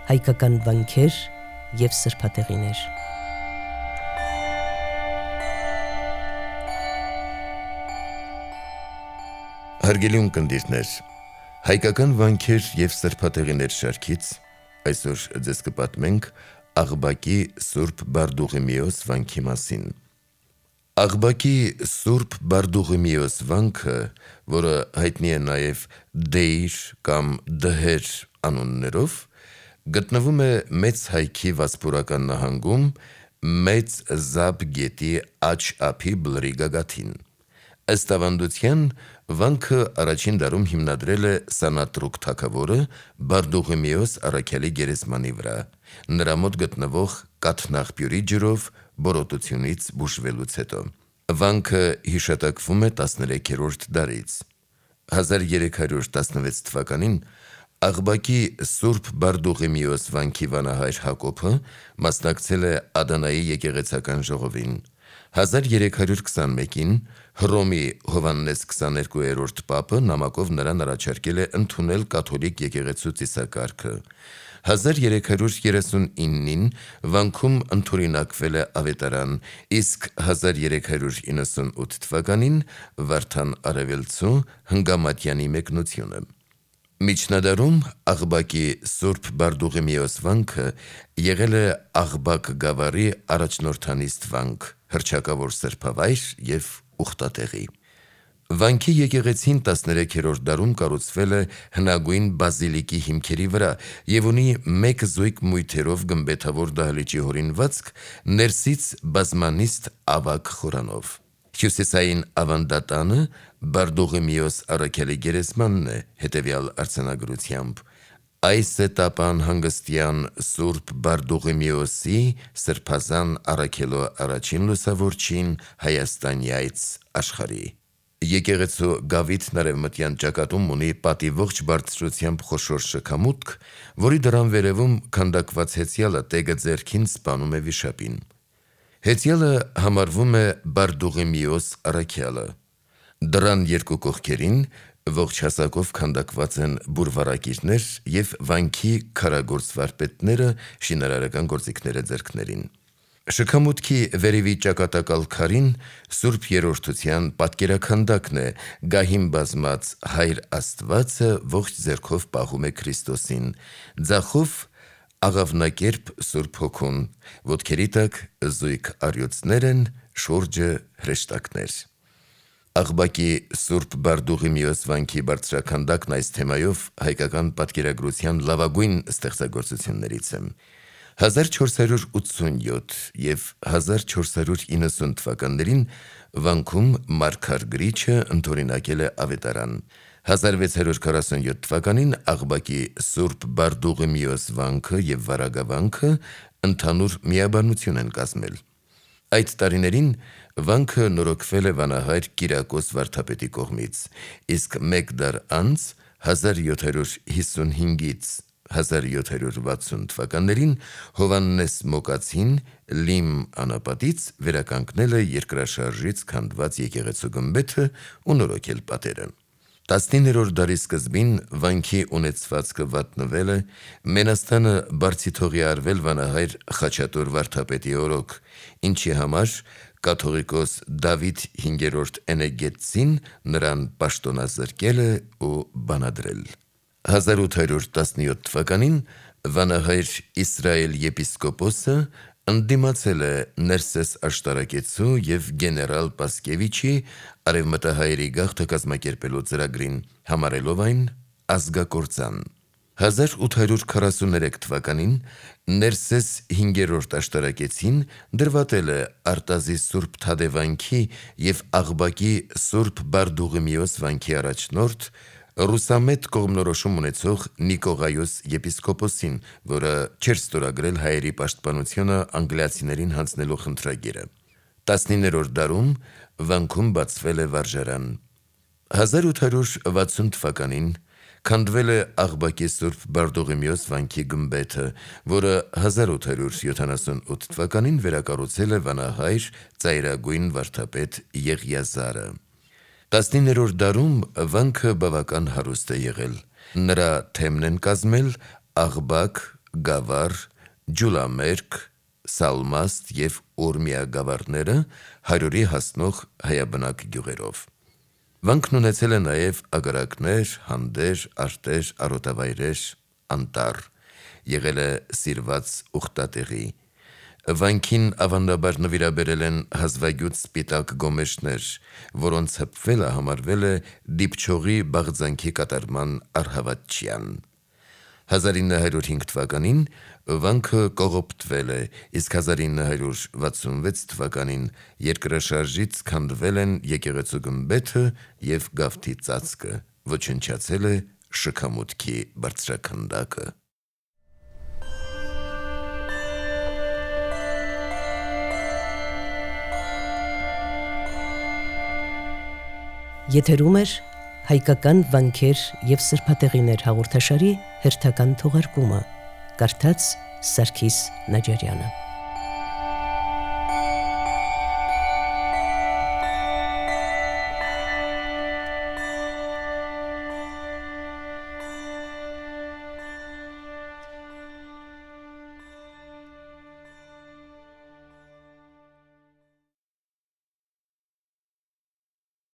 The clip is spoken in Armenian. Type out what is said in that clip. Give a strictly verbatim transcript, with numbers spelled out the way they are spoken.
հայկական վանքեր և սրբատեղիներ։ Հարգելի ունկնդիրներ, հայկական վանքեր և սրբատեղիներ շարքից այսօր ձեզ կպատմենք Աղբակի Սուրբ Բարդուղիմեոս վանքի մասին։ Աղբակի Սուրբ Բարդուղիմեոս վանքը, որը հայտնի է նաև Դեիր կամ Դհեր անուններով, գտնվում է Մեծ Հայքի Վասպուրական նահանգում, Մեծ Զաբ գետի աջ ափի բլրի գագաթին։ Ըստ ավանդության, վանքը առաջին դարում հիմնադրել է Սանատրուկ թագավորը Բարդուղիմեոս առաքյալի գերեզմանի վրա, նրա մոտ գտնվող կաթնաղբյուրի ջրով բորոտությունից բուժվելուց հետո։ Վանքը հիշատակվում է տասներեքերորդ դարից։ հազար երեք հարյուր տասնվեց թվականին Աղբակի Սուրբ Բարդուղիմեոս վանքի վանահայր Հակոբը մասնակցել է Ադանայի եկեղեցական ժողովին։ հազար երեք հարյուր քսանմեկին Հռոմի Հովհաննես քսաներկուերորդ պապը նամակով նրան առաջարկել է ընդունել կաթոլիկ եկեղեցու ծիսակարգը։ հազար երեք հարյուր երեսունինին վանքում ընդօրինակվել է ավետարան, իսկ հազար երեք հարյուր իննսունութ թվականին Վարդան Արևելցու Հնգամատյանի մեկնությունը։ Միջնադարում Աղբակի Սուրբ Բարդուղիմեոս վանքը եղել է Աղբակ գավառի առաջնորդանիստ վանք, հռչակավոր սրբավայր և ուխտատեղի։ Վանքի եկեղեցին տասներեքերորդ դարում կառուցվել է հնագույն բազիլիկի հիմքերի վրա և ունի մեկ զույգ մույթերով գմբեթավոր դահլիճի հորինվածք, ներսից բազմանիստ ավագ խորանով։ Հյուսիսային ավանդատանը Բարդուղիմեոս առաքյալի գերեզմանն է հետևյալ արձանագրությամբ. «Այս է տապան հանգստյան Սուրբ Բարդուղիմեոսի սրբազան առաքյալու առաջին լուսավորչին Հայաստանյայց աշխարհի»։ Եկեղեցու գավիթն արևմտյան ճակատում ունի պատի ողջ բարձրությամբ խոշոր շքամուտք, որի դռան վերևում քանդակված հեծյալը տեգը ձեռքին սպանում է վիշապին։ Հեծյալը համարվում է Բարդուղիմեոս առաքյալը։ Դռան երկու կողքերին ողջ հասակով քանդակված են բուրվառակիրներ և վանքի քարագործ վարպետները շինարարական գործիքներ է ձեռքներին։ Շքամուտքի վերևի ճակատակալ քարին Սուրբ Երրորդության պատկերաքանդակն է, գահին բազմած Հայր Աստվածը ողջ ձեռքով պահում է Քրիստոսին, ձախով աղավնակերպ Սուրբ Հոգուն, ոտքերի տակ զույգ առյուծներ են, շուրջը հրեշտակներ։ Աղբակի Սուրբ Բարդուղիմեոս վանքի բարձրաքանդակն այս թեմայով հայկական պատկերագրության լավագույն ստեղծագործություններից է։ հազար չորս հարյուր ութսունյոթ և հազար չորս հարյուր իննսուն թվականներին վանքում Մարգար գրիչը ընդօրինակել է ավետարան։ հազար վեց հարյուր քառասունյոթ թվականին Աղբակի Սուրբ Բարդուղիմեոս վանքը և Վարագավանքը ընդհանուր միաբանություն են կազմել։ Այդ տարիներին վանքը նորոգվել է վանահայր Կիրակոս վարդապետի կողմից, իսկ մեկ դար անց հազար յոթ հարյուր հիսունհինգից հազար յոթ հարյուր վաթսուն թվականներին Հովհաննես Մոկացին Լիմ անապատից վերականգնել է երկրաշարժից քանդված եկեղեցու գմբեթը ու նորոգել պատերը։ տասնիններորդ դարի սկզբին վանքի ունեցվածքը վատնվել է, Մենաստանը բարձիթողի արվել վանահայր Խաչատուր վարդապետի օրոք, ինչի համար կաթողիկոս Դավիթ հինգերորդ Էնեգետցին նրան պաշտոնազրկել է ու բանադրել։ հազար ութ հարյուր տասնյոթ թվականին վանահայր Իսրայել եպիսկոպոսը ընդդիմացել է Ներսես աշտարակեցու և գեներալ Պասկևիչի արևմտահայերի գաղթը կազմակերպելու ծրագրին, համարելով այն ազգակործան։ հազար ութ հարյուր քառասուներեք թվականին Ներսես հինգերորդ աշտարակեցին դրվատել է Արտազի Սուրբ Թադևանքի և Աղբակի Սուրբ Բարդուղիմեոս վանքի առաջնորդ, ռուսամետ կողմնորոշում ունեցող Նիկողայոս եպիսկոպոսին, որը չէր ստորագրել հայերի պաշտպանությունը անգլիացիներին հանձնելու խնդրագիրը։ տասնիններորդ դարում վանքում բացվել է վարժարան։ հազար ութ հարյուր վաթսուն թվականին քանդվել է Աղբակի Սուրբ Բարդուղիմեոս վանքի գմբեթը, որը հազար ութ հարյուր յոթանասունութ թվականին վերակառուցել է վանահայր ծայրագույն վարդապետ Եղիազարը։ տասնիններորդ դարում վանքը բավական հարուստ է եղել։ Նրա թեմն են կազմել Աղբակ, Գավառ, Ջուլամերկ, Սալմաստ և Օրմիա գավառները հարյուրի հասնող հայաբնակ գյուղերով։ Վանքն ունեցել է նաև ագարակներ, հանդեր, արտեր, արոտավայրեր, անտառ, եղել է սիրված ուխտատեղի։ Վանքին ավանդաբար նվիրաբերել են հազվագյուտ սպիտակ գոմեշներ, որոնց հպվելը համարվել է դիպչողի բաղձանքի կատարման առհավատչյան։ հազար ինը հարյուր հինգ թվականին վանքը կողոպտվել է, իսկ հազար ինը հարյուր վաթսունվեց թվականին երկրաշարժից քանդվել են եկեղեցու գմբեթը և գավթի ծածկը, ոչնչացել է շքամուտքի բարձրաքանդակը։ Եթերում էր հայկական վանքեր և սրբատեղիներ հաղորդաշարի հերթական թողարկումը, կարդաց Սարգիս Նաջարյանը։